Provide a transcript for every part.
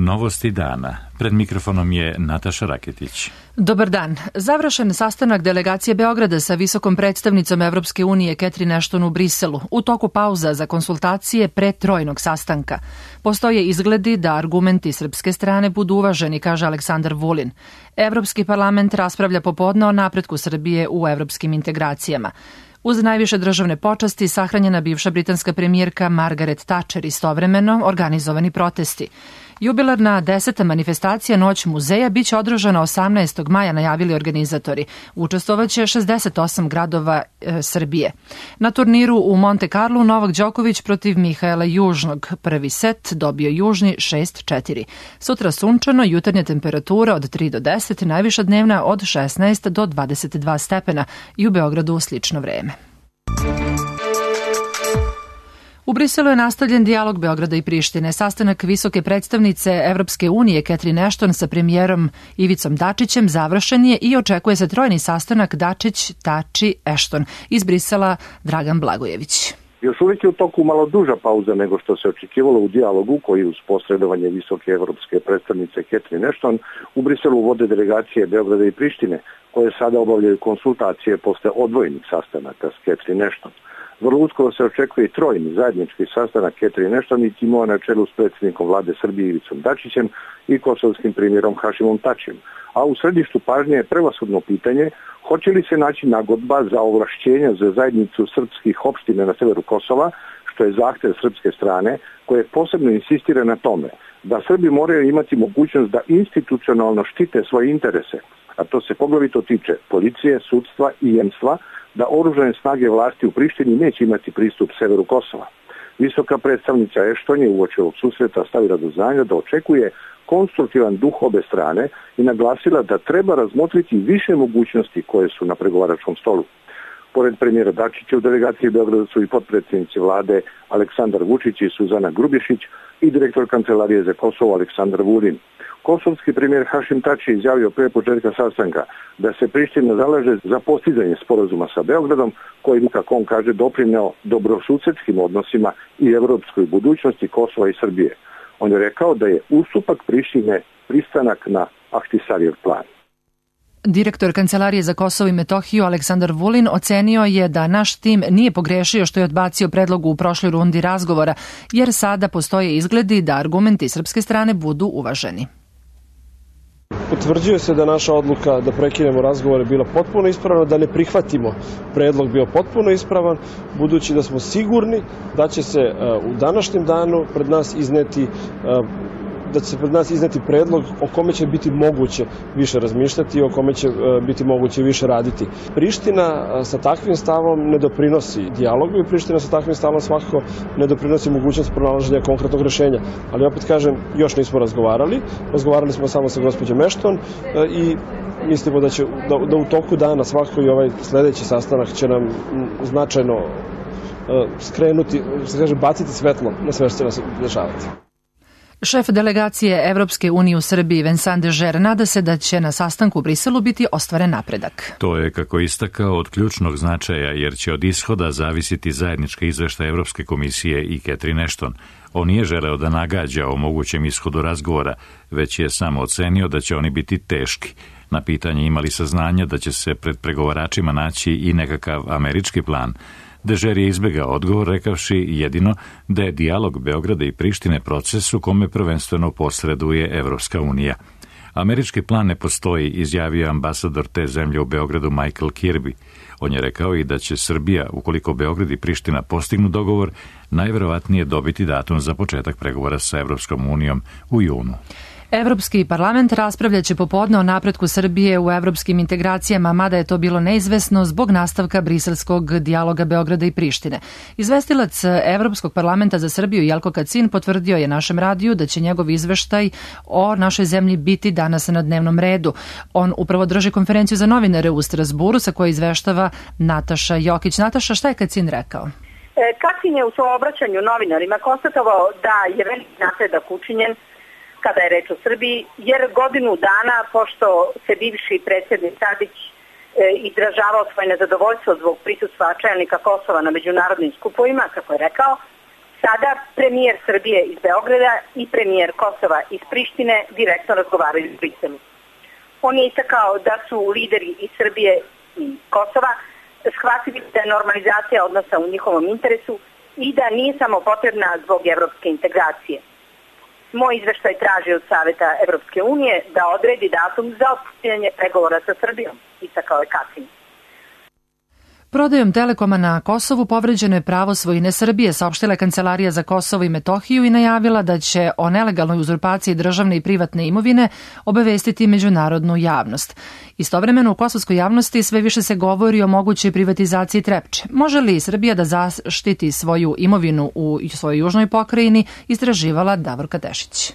Novosti dana. Pred mikrofonom je Nataša Raketić. Dobar dan. Završen sastanak delegacije Beograda sa visokom predstavnicom Evropske unije Catherine Ashton u Briselu u toku pauza za konsultacije pre trojnog sastanka. Postoje izgledi da argumenti srpske strane budu uvaženi, kaže Aleksandar Vulin. Evropski parlament raspravlja popodne o napretku Srbije u evropskim integracijama. Uz najviše državne počasti sahranjena bivša britanska premijerka Margaret Thatcher, istovremeno organizovani protesti. Jubilarna 10. manifestacija Noć muzeja biće održana 18. maja, najavili organizatori. Učestvovaće 68 gradova Srbije. Na turniru u Monte Carlu Novak Đoković protiv Mihaela Južnog. Prvi set dobio Južni 6-4. Sutra sunčano, jutarnja temperatura od 3 do 10, najviša dnevna od 16 do 22 stepena i u Beogradu slično vreme. U Briselu je nastavljen dijalog Beograda i Prištine. Sastanak visoke predstavnice Evropske unije Catherine Ashton sa premijerom Ivicom Dačićem završen je i očekuje se trojni sastanak Dačić-Tači-Ashton. Iz Brisela Dragan Blagojević. Još uvijek je u toku malo duža pauza nego što se očekivalo u dijalogu koji uz posredovanje visoke evropske predstavnice Catherine Ashton u Briselu vode delegacije Beograda i Prištine, koje sada obavljaju konsultacije posle odvojenih sastanaka s Catherine Ashton. Vrlo uskoro se očekuje i trojni zajednički sastanak Catherine Ashton i timova na čelu s predsjednikom vlade Srbije Ivicom Dačićem i kosovskim premijerom Hašimom Tačijem. A u središtu pažnje je prevashodno pitanje hoće li se naći nagodba za ovlašćenja za zajednicu srpskih opština na severu Kosova, što je zahtev srpske strane, koje posebno insistira na tome da Srbi moraju imati mogućnost da institucionalno štite svoje interese, a to se poglavito tiče policije, sudstva i jemstva, da oružane snage vlasti u Prištini neće imati pristup severu Kosova. Visoka predstavnica Ashton je uoči ovog susreta stavila do znanja da očekuje konstruktivan duh obe strane i naglasila da treba razmotriti više mogućnosti koje su na pregovaračkom stolu. Pored premijera Dačića u delegaciji Beograda su i potpredsjednici vlade Aleksandar Vučić i Suzana Grubješić i direktor Kancelarije za Kosovo Aleksandar Vulin. Kosovski premijer Hašim Tači izjavio pre početka sastanka da se Priština zalaže za postizanje sporazuma sa Beogradom, kojim, kako on kaže, doprineo dobrosusedskim odnosima i evropskoj budućnosti Kosova i Srbije. On je rekao da je ustupak Prištine pristanak na Ahtisarijev plan. Direktor Kancelarije za Kosovo i Metohiju Aleksandar Vulin ocenio je da naš tim nije pogrešio što je odbacio predlog u prošloj rundi razgovora, jer sada postoje izgledi da argumenti srpske strane budu uvaženi. Potvrđuje se da naša odluka da prekinemo razgovore bila potpuno ispravna, da ne prihvatimo predlog bio potpuno ispravan, budući da smo sigurni da će se u današnjem danu pred nas izneti predlog o kome će biti moguće više razmišljati i o kome će biti moguće više raditi. Priština sa takvim stavom ne doprinosi dijalogu i Priština sa takvim stavom svakako ne doprinosi mogućnost pronalaženja konkretnog rešenja. Ali opet kažem, još nismo razgovarali. Razgovarali smo samo sa gospođom Ashton i mislimo da u toku dana svakako i ovaj sledeći sastanak će nam značajno skrenuti, baciti svetlo na sve što će nas dešavati. Šef delegacije Evropske unije u Srbiji Vincent Dežer nada se da će na sastanku u Briselu biti ostvaren napredak. To je, kako istakao, od ključnog značaja jer će od ishoda zavisiti zajednički izveštaj Evropske komisije i Catherine Ashton. On nije želeo da nagađa o mogućem ishodu razgovora, već je samo ocenio da će oni biti teški. Na pitanje imali saznanja da će se pred pregovaračima naći i nekakav američki plan. Dežer je izbegao odgovor rekavši jedino da je dijalog Beograda i Prištine proces u kome prvenstveno posreduje Evropska unija. Američki plan ne postoji, izjavio ambasador te zemlje u Beogradu Michael Kirby. On je rekao i da će Srbija, ukoliko Beograd i Priština postignu dogovor, najverovatnije dobiti datum za početak pregovora sa Evropskom unijom u junu. Evropski parlament raspravljaće popodne o napretku Srbije u evropskim integracijama, mada je to bilo neizvesno zbog nastavka briselskog dijaloga Beograda i Prištine. Izvestilac Evropskog parlamenta za Srbiju Jelko Kacin potvrdio je našem radiju da će njegov izveštaj o našoj zemlji biti danas na dnevnom redu. On upravo drži konferenciju za novinare u Strasburu sa koje izveštava Nataša Jokić. Nataša, šta je Kacin rekao? Kacin je u svom obraćanju novinarima konstatovao da je veliki napredak učinjen kada je reč o Srbiji, jer godinu dana, pošto se bivši predsjednik Tadić izražavao svoje nezadovoljstvo zbog prisustva čelnika Kosova na međunarodnim skupovima, kako je rekao, Sada premijer Srbije iz Beograda i premijer Kosova iz Prištine direktno razgovaraju u Briselu. On je istakao da su lideri iz Srbije i Kosova shvatili da je normalizacija odnosa u njihovom interesu i da nije samo potrebna zbog evropske integracije. Moj izveštaj traži od Saveta Evropske unije da odredi datum za otpočinjanje pregovora sa Srbijom, istakao je Kasim. Prodajom Telekoma na Kosovu povređeno je pravo svojine Srbije, saopštila je Kancelarija za Kosovo i Metohiju i najavila da će o nelegalnoj uzurpaciji državne i privatne imovine obavestiti međunarodnu javnost. Istovremeno u kosovskoj javnosti sve više se govori o mogućoj privatizaciji Trepče. Može li Srbija da zaštiti svoju imovinu u svojoj južnoj pokrajini, istraživala Davorka Tešić.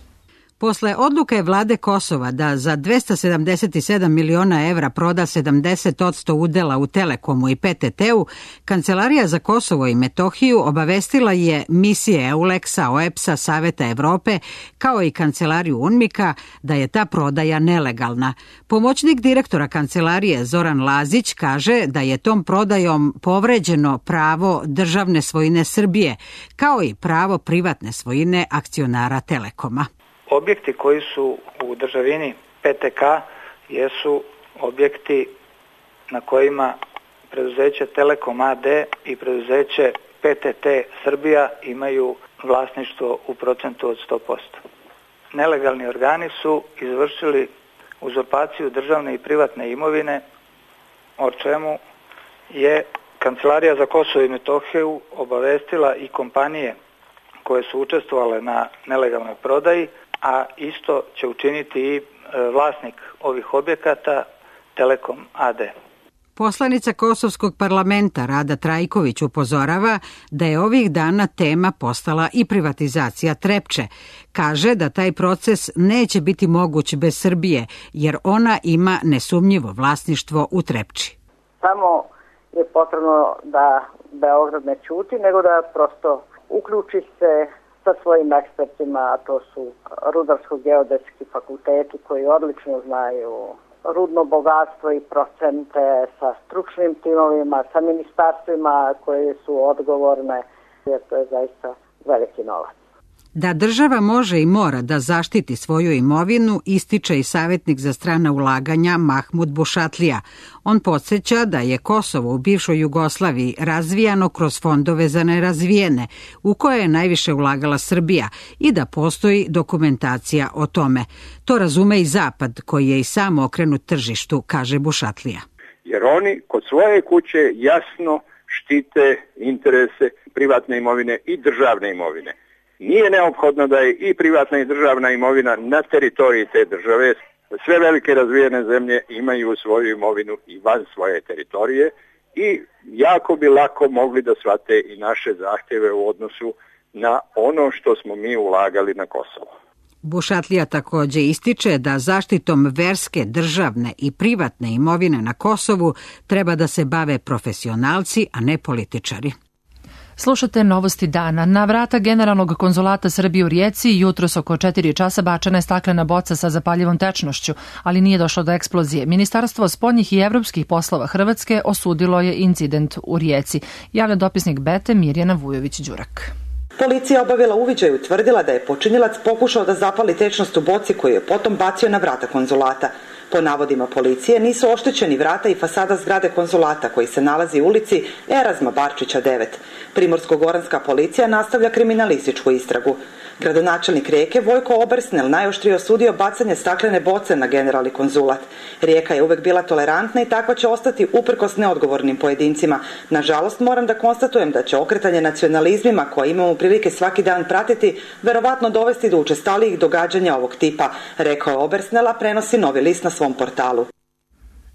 Posle odluke vlade Kosova da za 277 miliona evra proda 70% udela u Telekomu i PTT-u, Kancelarija za Kosovo i Metohiju obavestila je misije EULEX-a, OEBS-a, Saveta Evrope, kao i Kancelariju UNMIK-a da je ta prodaja nelegalna. Pomoćnik direktora Kancelarije Zoran Lazić kaže da je tom prodajom povređeno pravo državne svojine Srbije, kao i pravo privatne svojine akcionara Telekoma. Objekti koji su u državini PTK jesu objekti na kojima preduzeće Telekom AD i preduzeće PTT Srbija imaju vlasništvo u procentu od 100%. Nelegalni organi su izvršili uzurpaciju državne i privatne imovine, o čemu je Kancelarija za Kosovo i Metohiju obavestila i kompanije koje su učestvovale na nelegalnoj prodaji, a isto će učiniti i vlasnik ovih objekata, Telekom AD. Poslanica Kosovskog parlamenta Rada Trajković upozorava da je ovih dana tema postala i privatizacija Trepče. Kaže da taj proces neće biti moguć bez Srbije, jer ona ima nesumnjivo vlasništvo u Trepči. Samo je potrebno da Beograd ne ćuti, nego da prosto uključi se sa svojim ekspertima, a to su rudarsko-geodetski fakulteti koji odlično znaju rudno bogatstvo i procente, sa stručnim timovima, sa ministarstvima koje su odgovorne, jer to je zaista veliki novac. Da država može i mora da zaštiti svoju imovinu, ističe i savjetnik za strana ulaganja Mahmud Bušatlija. On podsjeća da je Kosovo u bivšoj Jugoslaviji razvijano kroz fondove za nerazvijene, u koje je najviše ulagala Srbija i da postoji dokumentacija o tome. To razume i Zapad, koji je i sam okrenut tržištu, kaže Bušatlija. Jer oni kod svoje kuće jasno štite interese privatne imovine i državne imovine. Nije neophodno da je i privatna i državna imovina na teritoriji te države. Sve velike razvijene zemlje imaju svoju imovinu i van svoje teritorije i jako bi lako mogli da shvate i naše zahtjeve u odnosu na ono što smo mi ulagali na Kosovo. Bušatlija također ističe da zaštitom verske, državne i privatne imovine na Kosovu treba da se bave profesionalci, a ne političari. Slušate novosti dana. Na vrata Generalnog konzulata Srbije u Rijeci jutros oko 4 časa bačena je staklena boca sa zapaljivom tečnošću, ali nije došlo do eksplozije. Ministarstvo spoljnih i evropskih poslova Hrvatske osudilo je incident u Rijeci. Javlja dopisnik Bete Mirjana Vujović-Đurak. Policija obavila uviđaj i utvrdila da je počinilac pokušao da zapali tečnost u boci koju je potom bacio na vrata konzulata. Po navodima policije nisu oštećeni vrata i fasada zgrade konzulata koji se nalazi u ulici Erazma Barčića 9. Primorsko-goranska policija nastavlja kriminalističku istragu. Gradonačelnik Rijeke Vojko Obersnel najoštrije osudio bacanje staklene boce na generalni konzulat. Rijeka je uvek bila tolerantna i takva će ostati uprkos neodgovornim pojedincima. Nažalost, moram da konstatujem da će okretanje nacionalizmima koje imamo prilike svaki dan pratiti verovatno dovesti do učestalijih događanja ovog tipa, rekao je Obersnel, a prenosi Novi list na svom portalu.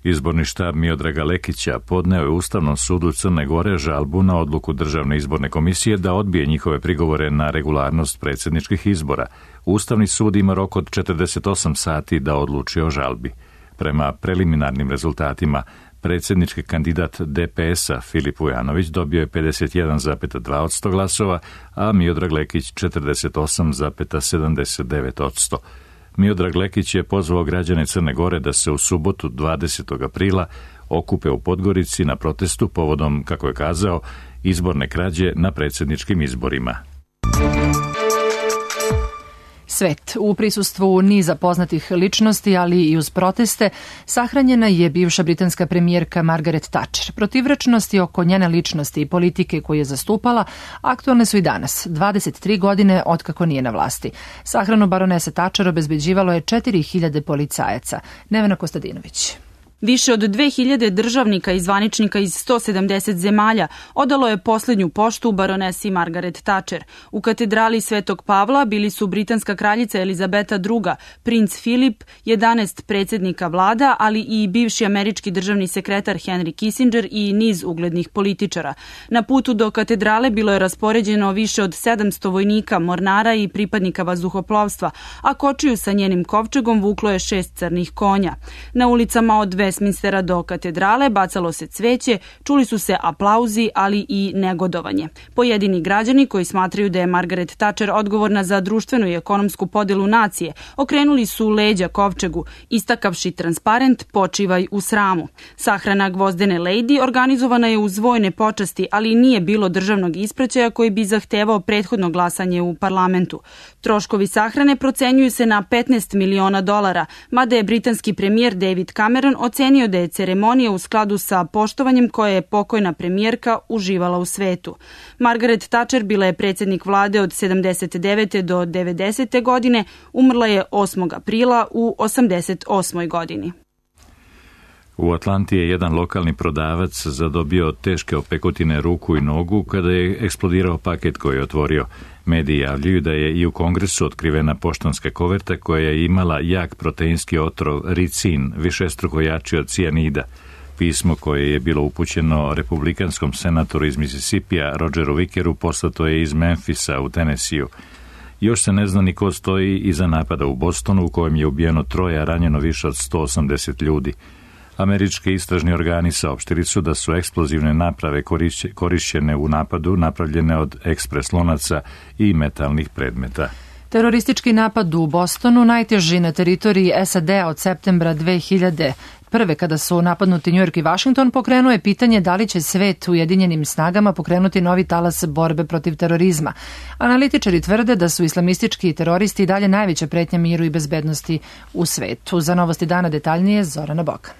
Izborni štab Miodraga Lekića podneo je Ustavnom sudu Crne Gore žalbu na odluku Državne izborne komisije da odbije njihove prigovore na regularnost predsjedničkih izbora. Ustavni sud ima rok od 48 sati da odluči o žalbi. Prema preliminarnim rezultatima, predsjednički kandidat DPS-a Filip Vujanović dobio je 51,2% glasova, a Miodrag Lekić 48,79%. Miodrag Lekić je pozvao građane Crne Gore da se u subotu 20. aprila okupe u Podgorici na protestu povodom, kako je kazao, izborne krađe na predsjedničkim izborima. svet. U prisustvu niza poznatih ličnosti, ali i uz proteste, sahranjena je bivša britanska premijerka Margaret Thatcher. Protivrečnosti oko njene ličnosti i politike koju je zastupala aktualne su i danas, 23 godine otkako nije na vlasti. Sahranu baronese Thatcher obezbeđivalo je 4000 policajaca. Nevena Kostadinović. Više od 2000 državnika i zvaničnika iz 170 zemalja odalo je posljednju poštu baronesi Margaret Thatcher. U katedrali Svetog Pavla bili su britanska kraljica Elizabeta II, princ Filip, 11 predsjednika vlada, ali i bivši američki državni sekretar Henry Kissinger i niz uglednih političara. Na putu do katedrale bilo je raspoređeno više od 700 vojnika, mornara i pripadnika vazduhoplovstva, a kočiju sa njenim kovčegom vuklo je 6 crnih konja. Na ulicama od Westminstera do katedrale bacalo se cveće, čuli su se aplauzi, ali i negodovanje. Pojedini građani koji smatraju da je Margaret Thatcher odgovorna za društvenu i ekonomsku podelu nacije, okrenuli su leđa kovčegu, istakavši transparent "Počivaj u sramu". Sahrana gvozdene lady organizovana je uz vojne počasti, ali nije bilo državnog ispraćaja koji bi zahtevao prethodno glasanje u parlamentu. Troškovi sahrane procenjuju se na $15 miliona, mada je britanski premijer David Cameron ocenio da je ceremonija u skladu sa poštovanjem koje je pokojna premijerka uživala u svetu. Margaret Thatcher bila je predsjednik vlade od 79. do 90. godine, umrla je 8. aprila u 88. godini. U Atlanti je jedan lokalni prodavac zadobio teške opekotine ruku i nogu kada je eksplodirao paket koji je otvorio. Mediji javljaju da je i u Kongresu otkrivena poštanska koverta koja je imala jak proteinski otrov ricin, višestruko jači od cijanida. Pismo koje je bilo upućeno republikanskom senatoru iz Mississippija Rogeru Vickeru poslato je iz Memphisa u Tennesseeu. Još se ne zna ni ko stoji iza napada u Bostonu u kojem je ubijeno 3, a ranjeno više od 180 ljudi. Američki istražni organi saopštili su da su eksplozivne naprave korišćene u napadu napravljene od ekspres lonaca i metalnih predmeta. Teroristički napad u Bostonu, najteži na teritoriji SAD-a od septembra 2001. kada su napadnuti New York i Washington, pokrenuo je pitanje da li će svet ujedinjenim snagama pokrenuti novi talas borbe protiv terorizma. Analitičari tvrde da su islamistički teroristi i dalje najveća pretnja miru i bezbednosti u svetu. Za Novosti dana detaljnije Zorana Bokan.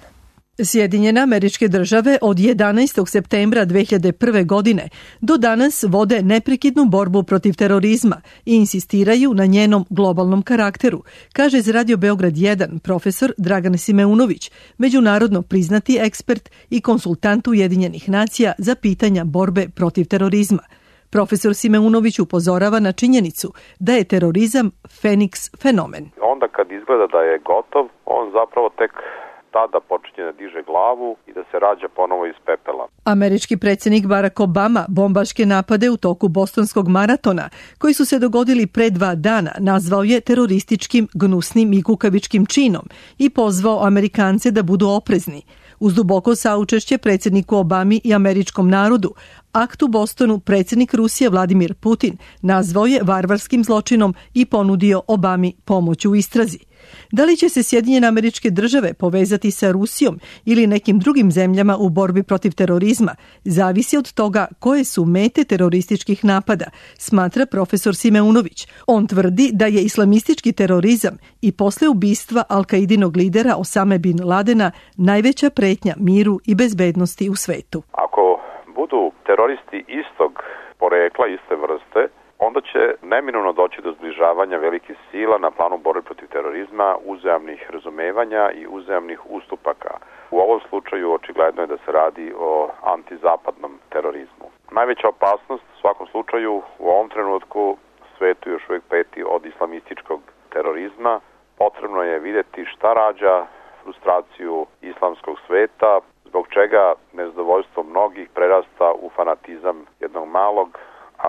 Sjedinjene Američke Države od 11. septembra 2001. godine do danas vode neprekidnu borbu protiv terorizma i insistiraju na njenom globalnom karakteru, kaže za Radio Beograd 1 profesor Dragan Simeunović, međunarodno priznati ekspert i konsultant Ujedinjenih nacija za pitanja borbe protiv terorizma. Profesor Simeunović upozorava na činjenicu da je terorizam Feniks fenomen. Onda kad izgleda da je gotov, on zapravo tek tada počinje da diže glavu i da se rađa ponovo iz pepela. Američki predsjednik Barack Obama bombaške napade u toku bostonskog maratona, koji su se dogodili pre 2 dana, nazvao je terorističkim, gnusnim i kukavičkim činom i pozvao Amerikance da budu oprezni. Uz duboko saučešće predsjedniku Obami i američkom narodu, akt u Bostonu predsjednik Rusije Vladimir Putin nazvao je varvarskim zločinom i ponudio Obami pomoć u istrazi. Da li će se Sjedinjene Američke Države povezati sa Rusijom ili nekim drugim zemljama u borbi protiv terorizma, zavisi od toga koje su mete terorističkih napada, smatra profesor Simeunović. On tvrdi da je islamistički terorizam i posle ubistva Al-Kaidinog lidera Osame bin Ladena najveća pretnja miru i bezbednosti u svetu. Ako budu teroristi istog porekla, iste vrste, onda će neminovno doći do zbližavanja velikih sila na planu borbe protiv terorizma, uzajamnih razumevanja i uzajamnih ustupaka. U ovom slučaju očigledno je da se radi o antizapadnom terorizmu. Najveća opasnost u svakom slučaju u ovom trenutku svetu još uvijek peti od islamističkog terorizma. Potrebno je vidjeti šta rađa frustraciju islamskog sveta, zbog čega nezadovoljstvo mnogih prerasta u fanatizam jednog malog,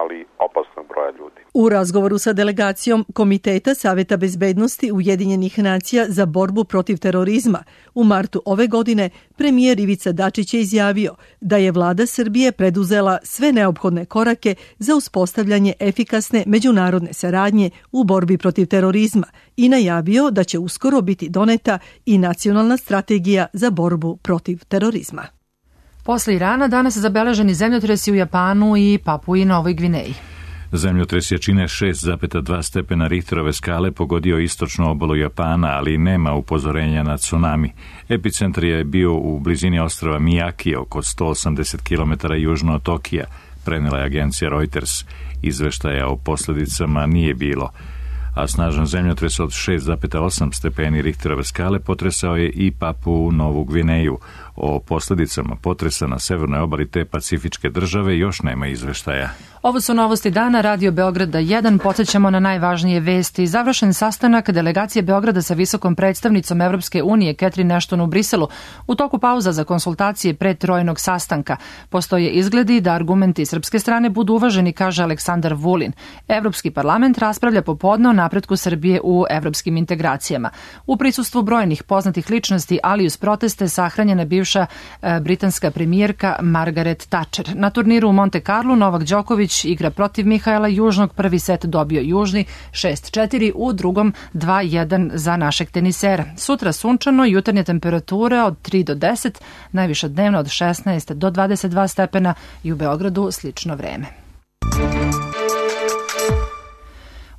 ali opasnog broja ljudi. U razgovoru sa delegacijom Komiteta Saveta bezbednosti Ujedinjenih nacija za borbu protiv terorizma u martu ove godine, premijer Ivica Dačić je izjavio da je vlada Srbije preduzela sve neophodne korake za uspostavljanje efikasne međunarodne saradnje u borbi protiv terorizma i najavio da će uskoro biti doneta i nacionalna strategija za borbu protiv terorizma. Posle Irana danas zabeleženi zemljotresi u Japanu i Papui Novoj Gvineji. Zemljotres jačine 6,2 stepena Richterove skale pogodio istočnu obalu Japana, ali nema upozorenja na tsunami. Epicentar je bio u blizini ostrva Miyaki, oko 180 km južno od Tokija, prenela je agencija Reuters. Izveštaja o posljedicama nije bilo, a snažan zemljotres od 6,8 stepeni Richterove skale potresao je i Papu Novu Gvineju. O posljedicama potresa na severnoj obali te pacifičke države još nema izveštaja. Ovo su novosti dana, Radio Beograda 1. Podsjećamo na najvažnije vesti. Završen sastanak delegacije Beograda sa visokom predstavnicom Evropske unije Catherine Ashton u Briselu. U toku pauza za konsultacije pre trojnog sastanka. Postoje izgledi da argumenti srpske strane budu uvaženi, kaže Aleksandar Vulin. Evropski parlament raspravlja popodne o napretku Srbije u evropskim integracijama. U prisustvu brojnih poznatih ličnosti, ali uz proteste sahranjena bivša britanska premijerka Margaret Thatcher. Na turniru u Monte Carlo Novak Đoković igra protiv Mihaela Južnog, prvi set dobio Južni 6-4, u drugom 2-1 za našeg tenisera. Sutra sunčano, jutarnje temperature od 3 do 10, najviša dnevno od 16 do 22 stepena i u Beogradu slično vreme.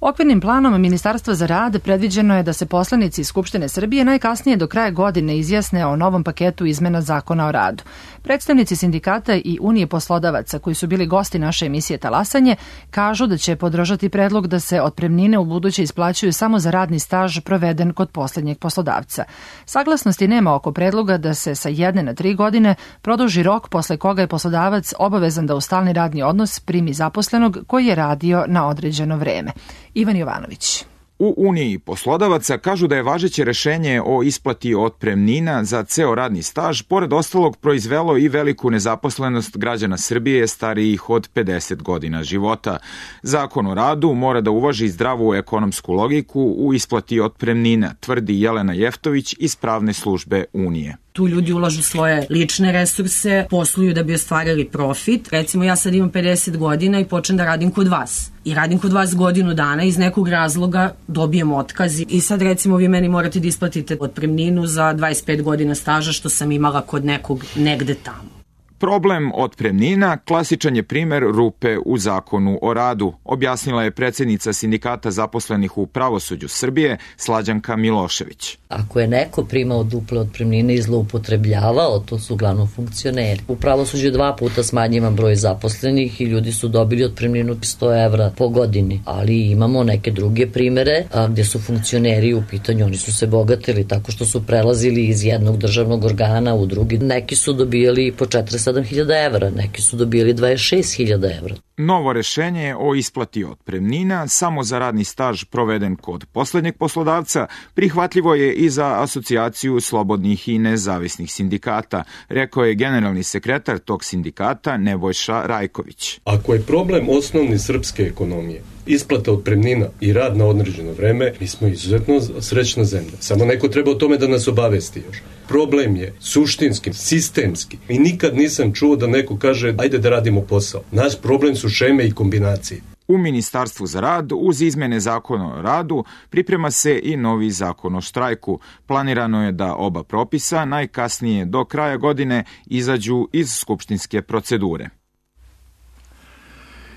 Okvirnim planom Ministarstva za rad predviđeno je da se poslanici Skupštine Srbije najkasnije do kraja godine izjasne o novom paketu izmena Zakona o radu. Predstavnici sindikata i Unije poslodavaca koji su bili gosti naše emisije Talasanje kažu da će podržati predlog da se otpremnine u buduće isplaćuju samo za radni staž proveden kod poslednjeg poslodavca. Saglasnosti nema oko predloga da se sa 1 na 3 godine produži rok posle koga je poslodavac obavezan da u stalni radni odnos primi zaposlenog koji je radio na određeno vreme. Ivan Jovanović. U Uniji poslodavaca kažu da je važeće rešenje o isplati otpremnina za ceo radni staž, pored ostalog, proizvelo i veliku nezaposlenost građana Srbije starijih od 50 godina života. Zakon o radu mora da uvaži zdravu ekonomsku logiku u isplati otpremnina, tvrdi Jelena Jeftović iz pravne službe Unije. Tu ljudi ulažu svoje lične resurse, posluju da bi ostvarili profit. Recimo, ja sad imam 50 godina i počnem da radim kod vas. I radim kod vas godinu dana, iz nekog razloga dobijem otkaz. I sad, recimo, vi meni morate da isplatite otpremninu za 25 godina staža što sam imala kod nekog negde tamo. Problem otpremnina klasičan je primer rupe u zakonu o radu, objasnila je predsjednica sindikata zaposlenih u pravosuđu Srbije, Slađanka Milošević. Ako je neko primao duple otpremnine i zloupotrebljavao, to su uglavnom funkcioneri. U pravosuđu 2 puta smanjivan broj zaposlenih i ljudi su dobili otpremninu 100 evra po godini, ali imamo neke druge primere gdje su funkcioneri u pitanju, oni su se bogatili tako što su prelazili iz jednog državnog organa u drugi. Neki su dobijali po 47.000 evra, neki su dobili 26.000 evra. Novo rešenje o isplati otpremnina samo za radni staž proveden kod poslednjeg poslodavca prihvatljivo je i za asocijaciju slobodnih i nezavisnih sindikata, rekao je generalni sekretar tog sindikata Nebojša Rajković. Ako je problem osnovni srpske ekonomije isplata otpremnina i rad na određeno vreme, mi smo izuzetno srećna zemlja. Samo neko treba o tome da nas obavesti još. Problem je suštinski, sistemski. I nikad nisam čuo da neko kaže ajde da radimo posao. Naš problem su šeme i kombinacije. U Ministarstvu za rad uz izmene zakona o radu priprema se i novi zakon o štrajku. Planirano je da oba propisa najkasnije do kraja godine izađu iz skupštinske procedure.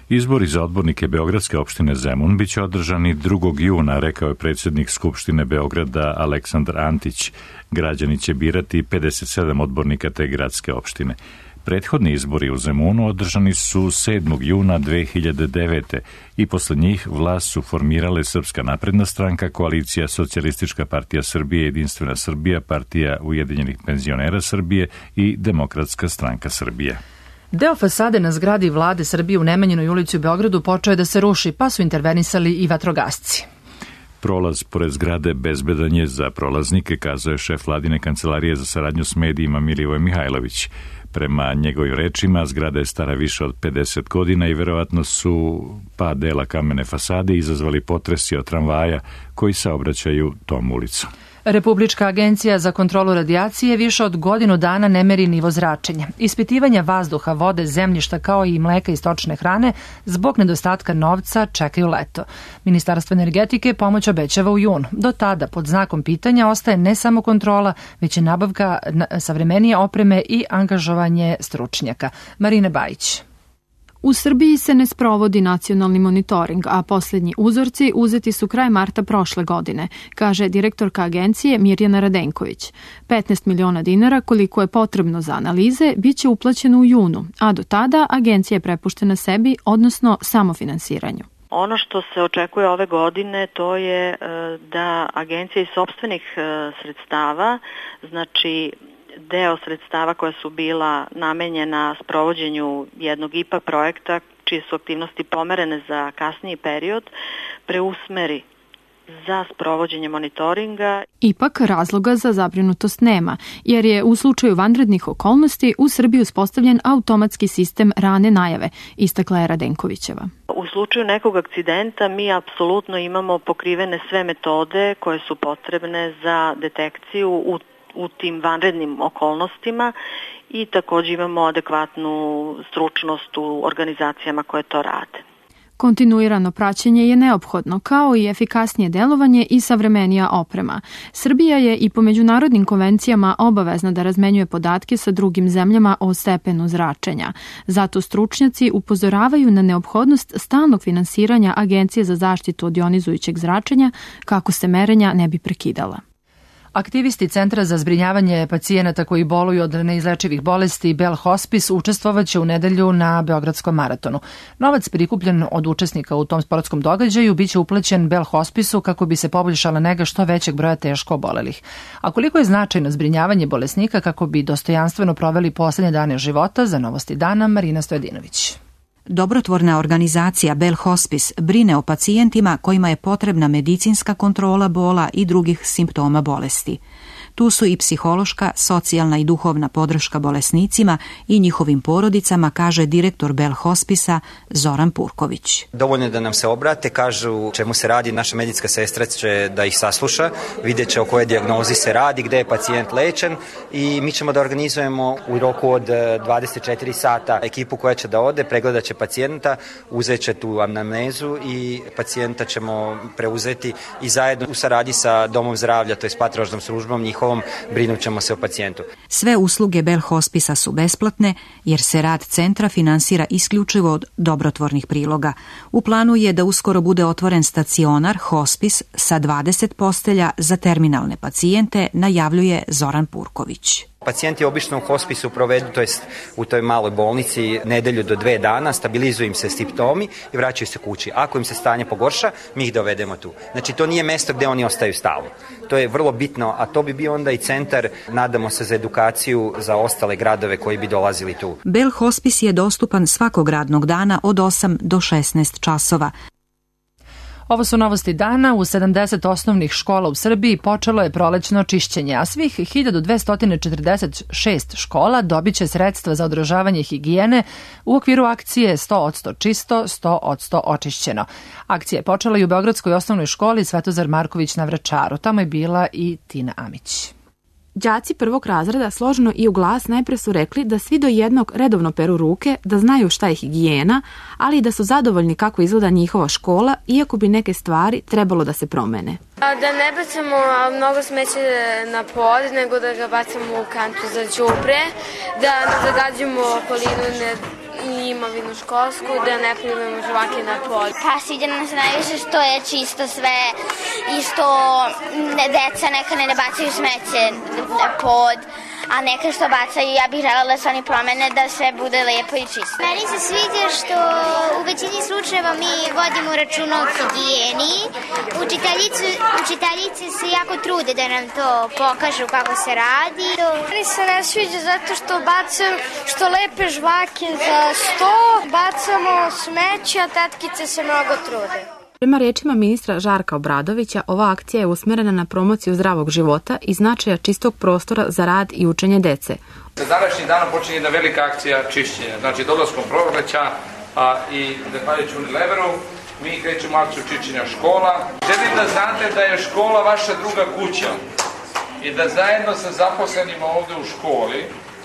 Izbori za odbornike Beogradske opštine Zemun biće održani 2. juna, rekao je predsjednik Skupštine Beograda Aleksandar Antić. Građani će birati 57 odbornika te gradske opštine. Prethodni izbori u Zemunu održani su 7. juna 2009. i posle njih vlast su formirale Srpska napredna stranka, Koalicija Socijalistička partija Srbije, Jedinstvena Srbija, Partija Ujedinjenih penzionera Srbije i Demokratska stranka Srbije. Deo fasade na zgradi vlade Srbije u Nemanjinoj ulici u Beogradu počeo je da se ruši, pa su intervenisali i vatrogasci. Prolaz pored zgrade bezbedan je za prolaznike, kazao je šef vladine kancelarije za saradnju s medijima Milivoje Mihajlović. Prema njegovim rečima, zgrada je stara više od 50 godina i verovatno su pad dela kamene fasade izazvali potresi od tramvaja koji saobraćaju tom ulicom. Republička agencija za kontrolu radijacije više od godinu dana ne meri nivo zračenja. Ispitivanja vazduha, vode, zemljišta kao i mleka i stočne hrane zbog nedostatka novca čekaju leto. Ministarstvo energetike pomoć obećava u junu. Do tada pod znakom pitanja ostaje ne samo kontrola, već i nabavka savremenije opreme i angažovanje stručnjaka. Marina Bajić. U Srbiji se ne sprovodi nacionalni monitoring, a posljednji uzorci uzeti su kraj marta prošle godine, kaže direktorka agencije Mirjana Radenković. 15 miliona dinara, koliko je potrebno za analize, bit će uplaćeno u junu, a do tada agencija je prepuštena sebi, odnosno samofinansiranju. Ono što se očekuje ove godine to je da agencija iz sopstvenih sredstava, znači deo sredstava koja su bila namenjena sprovođenju jednog IPA projekta, čije su aktivnosti pomerene za kasniji period, preusmeri za sprovođenje monitoringa. Ipak razloga za zabrinutost nema, jer je u slučaju vanrednih okolnosti u Srbiji uspostavljen automatski sistem rane najave, istakla je Radenkovićeva. U slučaju nekog akcidenta mi apsolutno imamo pokrivene sve metode koje su potrebne za detekciju u tim vanrednim okolnostima i također imamo adekvatnu stručnost u organizacijama koje to rade. Kontinuirano praćenje je neophodno, kao i efikasnije delovanje i savremenija oprema. Srbija je i po međunarodnim konvencijama obavezna da razmenjuje podatke sa drugim zemljama o stepenu zračenja. Zato stručnjaci upozoravaju na neophodnost stalnog finansiranja Agencije za zaštitu od jonizujućeg zračenja kako se merenja ne bi prekidala. Aktivisti Centra za zbrinjavanje pacijenata koji boluju od neizlečivih bolesti Bell Hospice učestvovaće u nedelju na Beogradskom maratonu. Novac prikupljen od učesnika u tom sportskom događaju biće uplaćen Bell Hospice-u kako bi se poboljšala nega što većeg broja teško obolelih. A koliko je značajno zbrinjavanje bolesnika kako bi dostojanstveno proveli poslednje dane života, za Novosti dana Marina Stojadinović. Dobrotvorna organizacija Bell Hospice brine o pacijentima kojima je potrebna medicinska kontrola bola i drugih simptoma bolesti. Tu su i psihološka, socijalna i duhovna podrška bolesnicima i njihovim porodicama, kaže direktor Bell Hospice-a Zoran Purković. Dovoljno je da nam se obrate, kažu čemu se radi, naša medicinska sestra će da ih sasluša, vidjet će o kojoj dijagnozi se radi, gde je pacijent lečen i mi ćemo da organizujemo u roku od 24 sata ekipu koja će da ode, pregledat će pacijenta, uzet će tu anamnezu i pacijenta ćemo preuzeti i zajedno u saradnji sa domom zdravlja, to je s patronažnom službom njihovom, brinut ćemo se o pacijentu. Sve usluge Bell Hospice-a su besplatne jer se rad centra finansira isključivo od dobrotvornih priloga. U planu je da uskoro bude otvoren stacionar Hospice sa 20 postelja za terminalne pacijente, najavljuje Zoran Purković. Pacijenti obično u hospisu provedu, to jest u toj maloj bolnici, nedelju do 2 dana, stabilizuju im se simptomi i vraćaju se kući. Ako im se stanje pogorša, mi ih dovedemo tu. Znači, to nije mesto gde oni ostaju stalno. To je vrlo bitno, a to bi bio onda i centar, nadamo se, za edukaciju za ostale gradove koji bi dolazili tu. Bell Hospice je dostupan svakog radnog dana od 8 do 16 časova. Ovo su Novosti dana. U 70 osnovnih škola u Srbiji počelo je prolećno čišćenje, a svih 1246 škola dobit će sredstva za održavanje higijene u okviru akcije 100% čisto, 100% očišćeno. Akcija je počela i u Beogradskoj osnovnoj školi Svetozar Marković na Vračaru. Tamo je bila i Tina Amić. Đaci prvog razreda složno i u glas najpre su rekli da svi do jednog redovno peru ruke, da znaju šta je higijena, ali i da su zadovoljni kako izgleda njihova škola, iako bi neke stvari trebalo da se promene. Da ne bacamo mnogo smeće na pod, nego da ga bacamo u kantu za đubre, da ne zagađujemo okolinu i imovinu školsku, da ne pljuvamo žvake na pod. Pa sviđa nam se najviše što je čisto sve i što deca neka ne bacaju smeće na pod, a neka što bacaju, ja bih želela da se oni promene, da sve bude lepo i čisto. Meni se sviđa što u većini slučajeva mi vodimo računa o higijeni. Učiteljice se jako trude da nam to pokažu kako se radi. Meni se ne sviđa zato što bacam što lepe žvake za sto, bacamo smeće, a tetkice se mnogo trude. Prema rečima ministra Žarka Obradovića, ova akcija je usmerena na promociju zdravog života i značaja čistog prostora za rad i učenje dece. Sa današnjim danom počinje jedna velika akcija čišćenja. Znači, dolaskom proleća i zahvaljujući Unileveru, mi krećemo akciju čišćenja škola. Želim da znate da je škola vaša druga kuća i da zajedno sa zaposlenima ovde u školi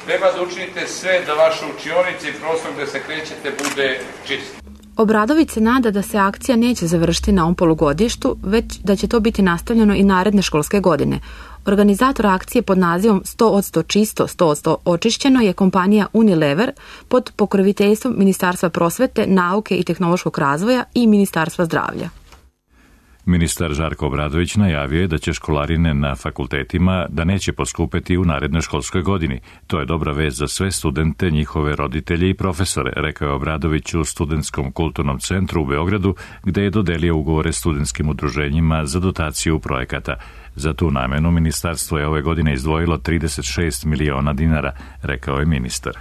treba da učinite sve da vaše učionice i prostor gde se krećete bude čist. Obradović se nada da se akcija neće završiti na ovom polugodištu, već da će to biti nastavljeno i naredne školske godine. Organizator akcije pod nazivom 100% čisto, 100% očišćeno je kompanija Unilever pod pokroviteljstvom Ministarstva prosvete, nauke i tehnološkog razvoja i Ministarstva zdravlja. Ministar Žarko Obradović najavio je da će školarine na fakultetima da neće poskupeti u narednoj školskoj godini. To je dobra vest za sve studente, njihove roditelje i profesore, rekao je Obradović u Studentskom kulturnom centru u Beogradu, gde je dodelio ugovore studentskim udruženjima za dotaciju projekata. Za tu namenu ministarstvo je ove godine izdvojilo 36 miliona dinara, rekao je ministar.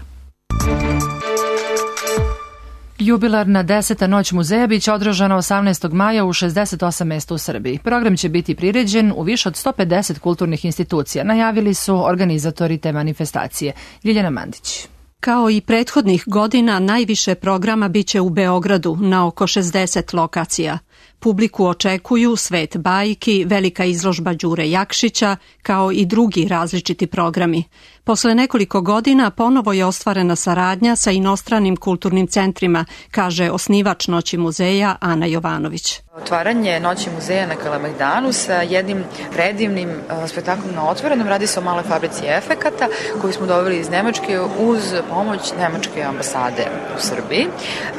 Jubilarna 10. noć muzeja biće održana 18. maja u 68 mesta u Srbiji. Program će biti priređen u više od 150 kulturnih institucija, najavili su organizatori te manifestacije. Ljiljana Mandić. Kao i prethodnih godina, najviše programa biće u Beogradu na oko 60 lokacija. Publiku očekuju Svet bajki, velika izložba Đure Jakšića, kao i drugi različiti programi. Posle nekoliko godina ponovo je ostvarena saradnja sa inostranim kulturnim centrima, kaže osnivač Noći muzeja Ana Jovanović. Otvaranje Noći muzeja na Kalemegdanu sa jednim predivnim spektaklom na otvorenom, radi se o maloj fabrici efekata koju smo doveli iz Nemačke uz pomoć Nemačke ambasade u Srbiji.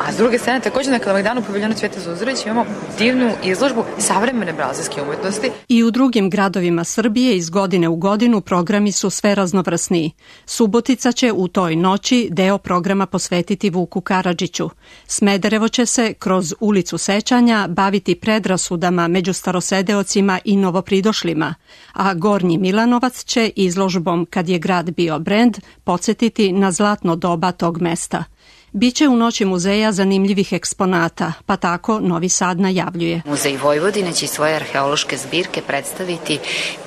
A s druge strane, također na Kalemegdanu u paviljonu Cvijeta Zuzorić imamo divnu izložbu savremene brazilske umetnosti. I u drugim gradovima Srbije iz godine u godinu programi su sve raznovrsniji. Subotica će u toj noći deo programa posvetiti Vuku Karadžiću. Smederevo će se kroz ulicu sećanja baviti predrasudama među starosedeocima i novopridošlima, a Gornji Milanovac će izložbom Kad je grad bio brend podsjetiti na zlatno doba tog mesta. Biće u Noći muzeja zanimljivih eksponata, pa tako Novi Sad najavljuje. Muzej Vojvodine će iz svoje arheološke zbirke predstaviti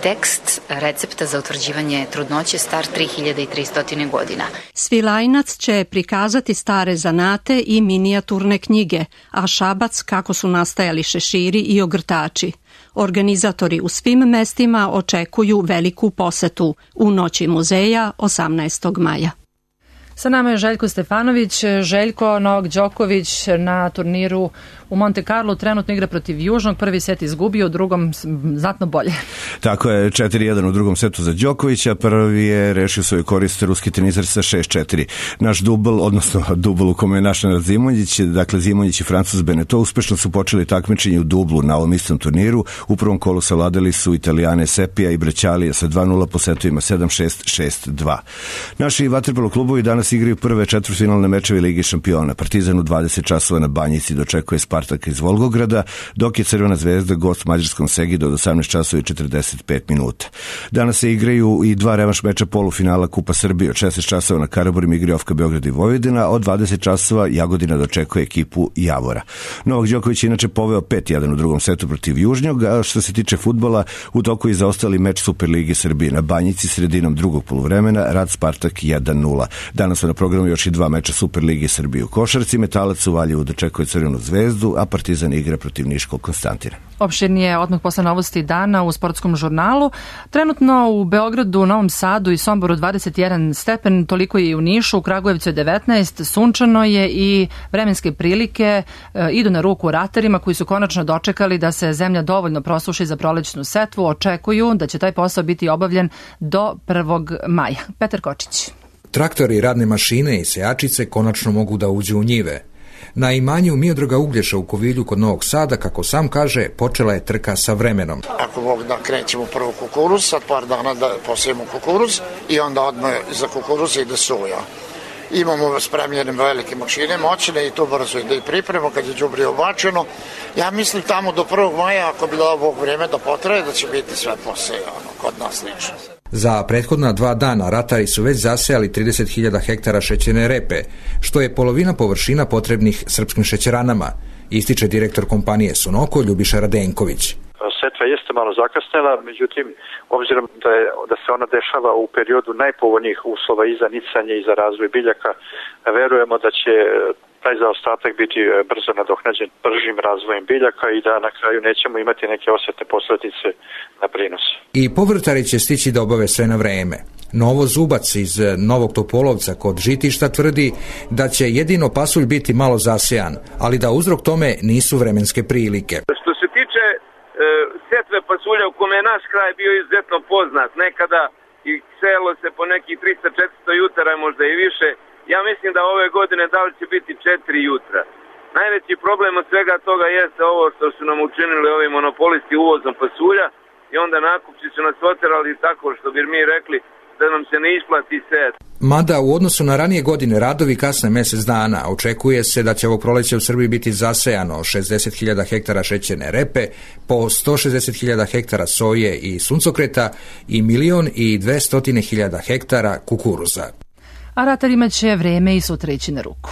tekst recepta za utvrđivanje trudnoće star 3300 godina. Svilajnac će prikazati stare zanate i minijaturne knjige, a Šabac kako su nastajali šeširi i ogrtači. Organizatori u svim mestima očekuju veliku posetu u Noći muzeja 18. maja. Sa nama je Željko Stefanović. Željko, Novak Đoković na turniru u Monte Carlo trenutno igra protiv Južnog. Prvi set izgubio, u drugom znatno bolje. Tako je, 4-1 u drugom setu za Đokovića. Prvi je rešio svoju korist ruski teniser sa 6-4. Naš dubl, odnosno dubl u kome je našao Zimonjić, dakle Zimonjić i Francuz Beneteau, uspešno su počeli takmičenje u dublu na ovom istom turniru. U prvom kolu savladali su Italijane Sepija i Brećalija sa 2-0 po setovima 7-6, 6-2. Naši vaterpolo klubovi danas igraju prve četvrtfinalne mečeve Lige šampiona. Partizan u 20 časova na Banjici dočekuje Spartak iz Volgograda, dok je Crvena zvezda gost mađarskom Segidu od 18 časova i 45 minuta. Danas se igraju i dva revanš meča polufinala Kupa Srbije. Od 16 časova na Karaburima igraju Ofka Beograd i Vojvodina, a od 20 časova Jagodina dočekuje ekipu Javora. Novak Đoković je inače poveo 5-1 u drugom setu protiv Južnjog, a što se tiče fudbala, u toku je zaostali meč Superlige Srbije na Banjici sredinom drugog poluvremena, Rad Spartak 1-0. Danas su na programu još i dva meča Superlige Srbije u košarci. Metalac u Valjevu dočekuje Crvenu zvezdu, a Partizan igra protiv Niškog Konstantina. Opširnije odmah posle novosti dana u sportskom žurnalu. Trenutno u Beogradu, Novom Sadu i Somboru 21 stepen, toliko je i u Nišu, u Kragujevcu je 19, sunčano je i vremenske prilike idu na ruku ratarima koji su konačno dočekali da se zemlja dovoljno prosuši za prolećnu setvu. Očekuju da će taj posao biti obavljen do 1. maja. Petar Kočić. Traktori, radne mašine i sejačice konačno mogu da uđu u njive. Na imanju Miodraga Uglješa u Kovilju kod Novog Sada, kako sam kaže, počela je trka sa vremenom. Ako Bog da krećemo prvo kukuruz, sad par dana da posijemo kukuruz i onda odmah za kukuruz ide soja. Imamo spremljene velike mašine, moćne i to brzo ide i pripremo kad je đubrivo obačeno. Ja mislim tamo do 1. maja, ako bi dao Bog vreme da potraje, da će biti sve posejano kod nas lično. Za prethodna 2 dana ratari su već zasejali 30.000 hektara šećerne repe, što je polovina površina potrebnih srpskim šećeranama, ističe direktor kompanije Sunoko Ljubiša Radenković. Setva jeste malo zakasnela, međutim, obzirom da se ona dešava u periodu najpovoljnijih uslova i za nicanje i za razvoj biljaka, verujemo da će taj zaostatak biti brzo nadoknađen bržim razvojem biljaka i da na kraju nećemo imati neke osjetne posljedice na prinos. I povrtari će stići da obave sve na vreme. Novo Zubac iz Novog Topolovca kod Žitišta tvrdi da će jedino pasulj biti malo zasejan, ali da uzrok tome nisu vremenske prilike. Što se tiče setve pasulja u kome je naš kraj bio izuzetno poznat. Nekada i selo se po nekih 300-400 jutara, možda i više. Ja mislim da ove godine da li će biti 4 jutra. Najveći problem od svega toga jeste ovo što su nam učinili ovi monopolisti uvozom pasulja i onda nakupci su nas oterali tako što bi mi rekli da nam se ne isplati sejati. Mada u odnosu na ranije godine radovi kasne mjesec dana, očekuje se da će ovo proleće u Srbiji biti zasejano 60.000 hektara šećerne repe, po 160.000 hektara soje i suncokreta i 1.200.000 hektara kukuruza. A ratarima će vreme i sutra ići na ruku.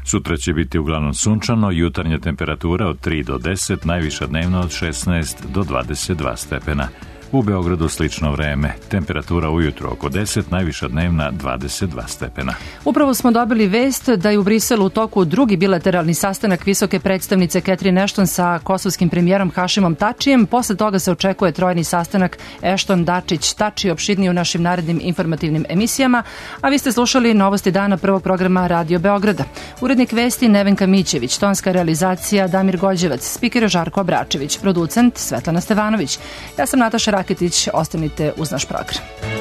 Sutra će biti uglavnom sunčano, jutarnja temperatura od 3 do 10, najviša dnevna od 16 do 22 stepena. U Beogradu slično vreme, temperatura ujutro oko 10, najviša dnevna 22 stepena. Upravo smo dobili vest da je u Briselu u toku drugi bilateralni sastanak visoke predstavnice Catherine Ashton sa kosovskim premijerom Hašimom Tačijem. Posle toga se očekuje trojni sastanak Ashton-Dačić-Tači, opširniji u našim narednim informativnim emisijama. A vi ste slušali Novosti dana prvog programa Radio Beograda. Urednik vesti Nevenka Mićević, tonska realizacija Damir Gođevac, spiker Žarko Abračević, producent Svetlana Stevanović. Ja sam Nataša Raketić, ostanite uz naš program.